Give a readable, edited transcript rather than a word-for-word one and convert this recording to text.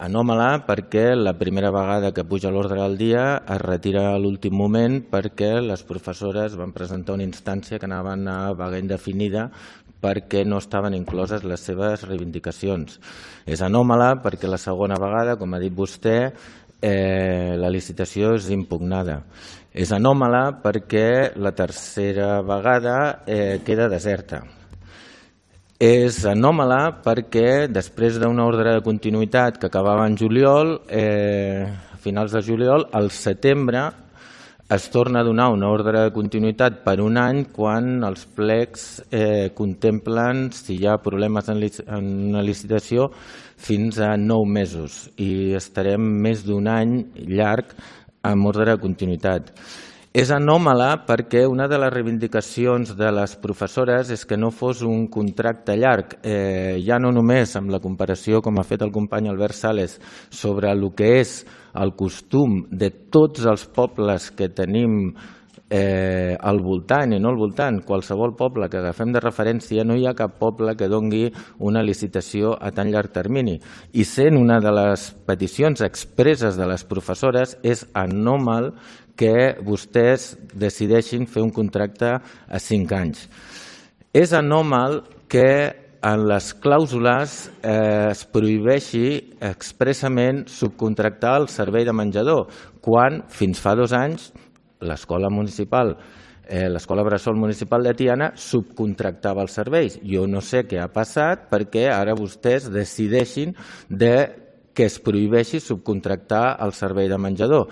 Anòmala perquè la primera vegada que puja a l'ordre del dia es retira a l'últim moment perquè les professores van presentar una instància que anaven a vaga indefinida perquè no estaven incloses les seves reivindicacions. És anòmala perquè la segona vegada, com ha dit vostè, la licitació és impugnada. És anòmala perquè la tercera vegada queda deserta. És anòmala perquè després d'una ordre de continuïtat que acabava en juliol, a finals de juliol, al setembre es torna a donar una ordre de continuïtat per un any quan els plecs contemplen, si hi ha problemes en una licitació, fins a 9 mesos i estarem més d'un any llarg amb ordre de continuïtat. És anòmala perquè una de les reivindicacions de les professores és que no fos un contracte llarg, ja no només amb la comparació, com ha fet el company Albert Sales, sobre el que és el costum de tots els pobles que tenim al voltant i no al voltant. Qualsevol poble que agafem de referència, no hi ha cap poble que doni una licitació a tan llarg termini. I sent una de les peticions expresses de les professores, és anòmal que vostès decideixin fer un contracte a 5 anys. És anòmal que en les clàusules es prohibeixi expressament subcontractar el servei de menjador, quan fins fa 2 anys l'escola municipal, l'escola bressol municipal de Tiana subcontractava els serveis. Jo no sé què ha passat perquè ara vostès decideixin que es prohibeixi subcontractar el servei de menjador.